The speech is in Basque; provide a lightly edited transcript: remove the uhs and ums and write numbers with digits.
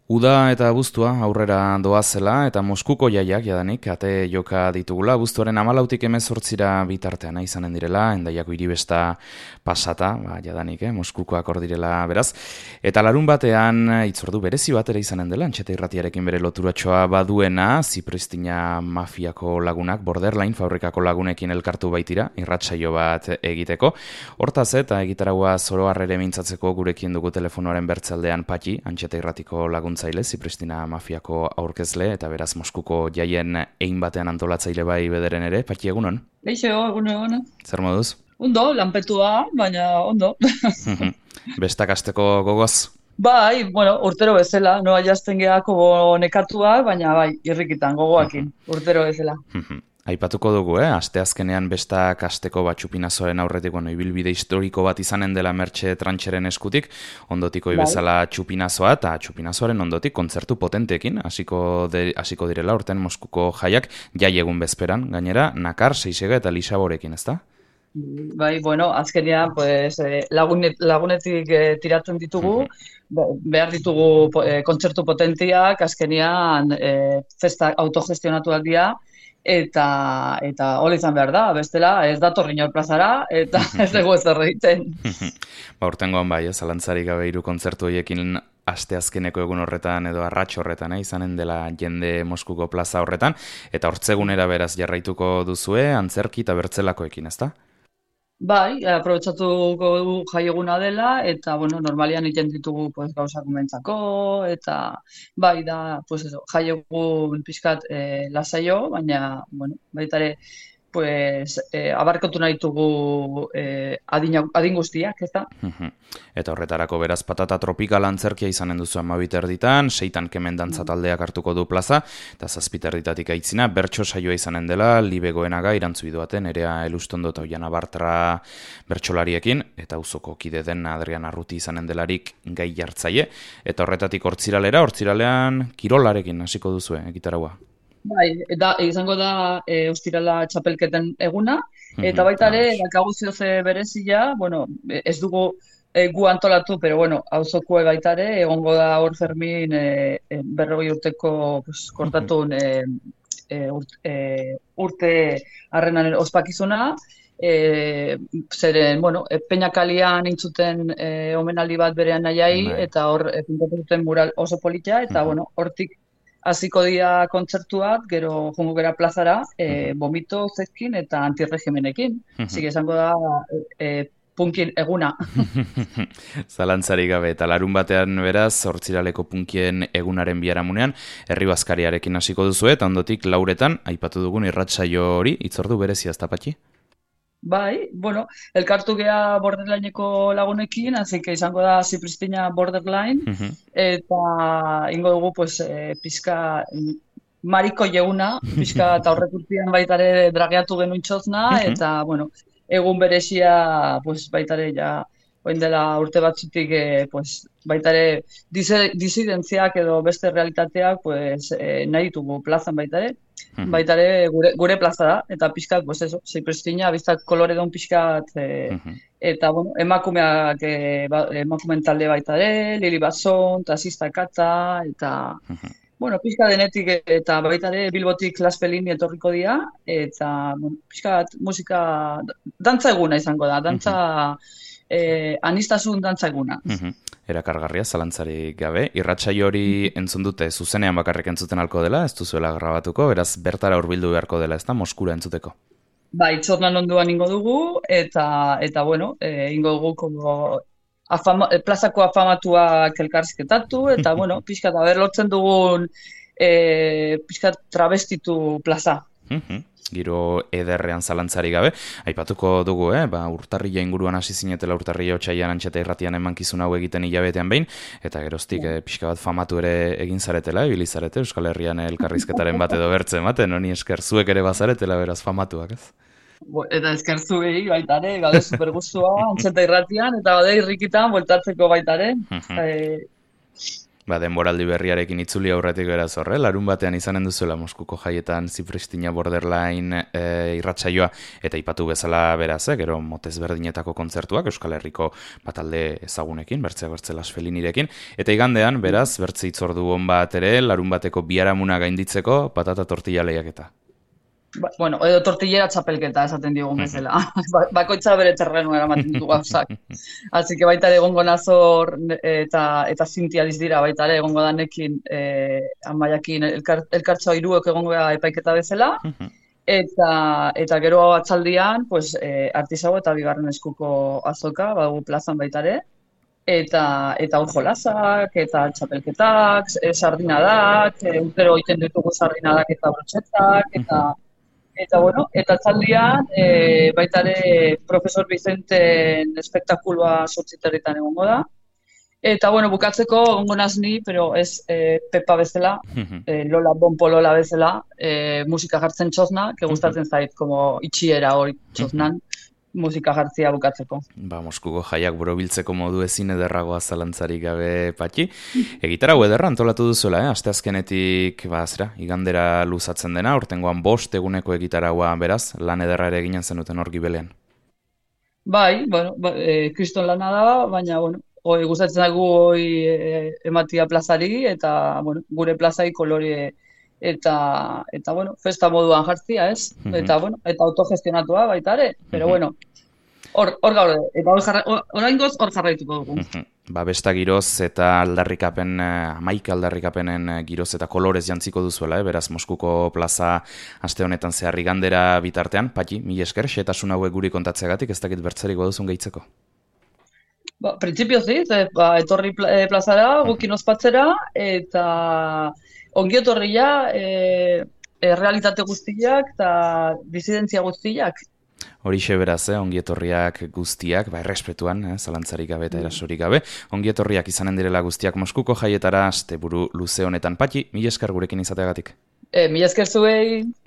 Uda eta abuztua aurrera doazela eta Moskuko jaiak jadanik ate joka ditugula. Abuztuaren 14tik 18ra bitartean izanen direla, Hendaiako hiribesta pasata, jadanik, Moskukoak hor direla beraz. Eta larun batean hitzordu berezi bat ere izanen dela, Antxeta Irratiarekin bere loturatxoa baduena, Zipristina mafiako lagunak, Borderline fabrikako lagunekin elkartu baitira, irratsaio bat egiteko. Hortaz eta egitaragua zoroarrere mintzatzeko gurekin dugu telefonoaren bertzaldean Patxi, Antxeta Irratiko laguntzaile, Zipristina mafiako aurkezle eta beraz Moskuko jaien ein batean antolatzaile bai bederen ere. Patxi, egunon? Eixo, egunon. Zer moduz? Ondo, lanpetua, baina ondo. Bestak hasteko gogoz? Bai, bueno, urtero bezala, noa jazten gehiago nekatuak, baina bai, irrikitan, gogoakin, urtero bezala. Aipatuko dugu, asteazkenean bestak hasteko Txupinazoaren aurretik, ibilbide historiko bat izanen dela Mertxe Trantxeren eskutik, ondotiko bezala Txupinazoa eta Txupinazoaren ondotik kontzertu potenteekin, hasiko direla urten Moskuko jaiak, jai egun bezperan, gainera, Nakar, Seisega eta Lisaborekin, ezta? Bai, bueno, azkenean, pues, lagunetik tiratzen ditugu, behar ditugu kontzertu potentiak, azkenean festa autogestionatuak dira, eta hola izan behar da, bestela ez dator inor plazara, eta ez dugu ez egiten. Urtengoan bai, zalantzarik gabe 3 kontzertu horiekin asteazkeneko egun horretan edo arrats horretan, izanen dela jende Moskuko plaza horretan, eta hortzegunera beraz jarraituko duzue, antzerki eta bertzelakoekin, ezta? Bai, aprobetxatuko du jaieguna dela, eta, bueno, normalian egiten ditugu pues, gauzak umentzako, eta bai da, pues eso, jaiegun pixkat lasaio, baina, bueno, baita ere, pues, abarkotu nahi dugu adin guztiak, ez da? Eta horretarako beraz patata tropikal antzerkia izanen duzu 12 seitan kemen dantza taldeak hartuko du plaza, eta 7 aitzina, bertso saioa izanen dela, Libe Goenaga irantzu biduaten, Nerea Elustondo eta Oiana Bartra bertsolariekin, eta auzoko kide den Adrian Arruti izanen delarik gai jartzaile, eta horretatik hortziralean kirolarekin hasiko duzue, egitaragua. Bai, eta izango da ostirala txapelketen eguna, eta baita ere, dakagu zioze berezia, bueno, ez dugu gu antolatu, pero bueno, auzokue baita ere, egongo da hor Fermin 40 urteko pues, kortatun urte harrenan ospakizuna, zeren, bueno, Peñakalian intzuten omenaldi bat berean nahiai, eta hor pintatu duten mural oso politia, eta bueno, hortik hasiko dira kontzertuak, gero jongo gera plazara, Bomito Zezkin eta Antirregimenekin. Zige esango da punkin eguna. Zalantzarik gabe, eta larun batean beraz, hortziraleko punkien egunaren biharamunean, Herri Bazkariarekin hasiko duzu eta ondotik 4etan, aipatu dugun irratsaio hori, hitzordu berezia ezta Patxi? Bai, bueno, elkartu gea Borderlineko lagunekin, así que izango da Zipristina Borderline, eta ingo dugu, pues, pizka mariko jeuna, pizka eta horrekurtian baitare drageatu genuen txozna, eta, bueno, egun berezia, pues, baitare, ja, oin dela urte batzutik, pues, baitare disidentziak edo beste realitateak, pues, nahi ditugu plazan baitare, baitare gure plaza da, eta pixkat, pues eso, Zipristina, biztak kolore duen pixkat, eta, bueno, emakumen talde baitare, Lili Bason, Tasista Katza, eta, bueno, pixka denetik eta baitare Bilbotik Las Pelini etorriko dira, eta, bueno, pixkat musika, dantza eguna izango da, dantza, anistasun dantza eguna. Erakargarria, zalantzarik gabe. Irratsaio hori entzun dute zuzenean bakarrik entzuten alko dela, ez duzuela grabatuko, beraz bertara hurbildu beharko dela, ez da, Moskura entzuteko. Bai, txornan onduan ingo dugu, eta bueno, ingo dugu plazako afamatuak elkarrizketatu, eta, bueno, pixkat, lortzen dugun pixkat travestitu plaza. Giro ederrean zalantzarik gabe, aipatuko dugu, urtarrila inguruan hasi zinetela urtarrila otsailean Antxeta Irratian emankizun hau egiten hilabetean behin, eta geroztik pixka bat famatu ere egin zaretela, ibili zarete, Euskal Herrian elkarrizketaren bat edo bertzen baten, honi esker zuek ere bazaretela beraz famatuak, ez? Eta esker zuei baitare, gaude supergustua, Antxeta Irratian, eta gaude irrikitan, bueltatzeko baitare. Denboraldi berriarekin itzuli aurretik beraz horre, larun batean izanen duzuela Moskuko jaietan Zipristina Borderline irratsaioa, eta ipatu bezala beraz, gero motez berdinetako kontzertuak, Euskal Herriko batalde ezagunekin, bertzeak bertzelas Felinirekin, eta igandean, beraz, bertze itzordu on bat ere, larun bateko biharamuna gainditzeko, patata tortilla lehiaketa. Bueno, edo tortillera txapelketa esaten diogun bezala. Bakoitza bere terrenu eramaten du gauzak. Así que baita ere egongo nazor eta zintializ dira baita ere egongo danekin Amaiakin elkartxoa hiruek egongo da epaiketa bezala. Eta gero atzaldian, pues, artisago eta bigarren eskuko azoka, badugu plazan baita ere. Eta hor jolasak, eta txapelketak, sardinadak, urtero egiten ditugu sardinadak eta brotxetak, eta bueno, eta atzaldian baita ere Profesor Vicenten espektakuloa 8:00 egongo da. Eta bueno, bukatzeko egongo naz ni, pero ez Pepa bezala, Lola Bonpolola bezala, musika jartzen txosna, que gustatzen zait, como itxiera hori txosnan. Musika jartzia bukatzeko. Moskuko jaiak borobiltzeko modu ezin ederragoa zalantzarik gabe, Patxi. Egitarau ederra antolatu duzuela, asteazkenetik, igandera luzatzen dena, hortengoan 5 eguneko egitaraua beraz, lan ederra ere eginen zenuten hor Gibelean. Bai, bueno, kriston lana da, baina, bueno, gustatzen dugu ematia plazari, eta, bueno, gure plazai kolore eta bueno, festa moduan jartzia, ez? Eta, bueno, eta autogestionatua baita ere, pero bueno, hor gaude, eta oraingoz hor jarraituko dugu. Besta giroz eta aldarrikapen, 11 aldarrikapenen giroz eta kolorez jantziko duzuela, beraz Moskuko plaza aste honetan zehar igandera bitartean, Patxi, mila esker, xehetasun hauek guri kontatzeagatik, ez dakit bertzerik duzun gehitzeko. Printzipioz etorri plazara, gukin ospatzera, eta ongiotorria, realitate guztiak eta disidentzia guztiak. Horixe beraz, ongietorriak guztiak, errespetuan, zalantzarik gabe eta erasorik gabe, ongietorriak izanen direla guztiak Moskuko jaietara, asteburu luze honetan. Patxi, mila esker gurekin izateagatik. Mila esker zuei.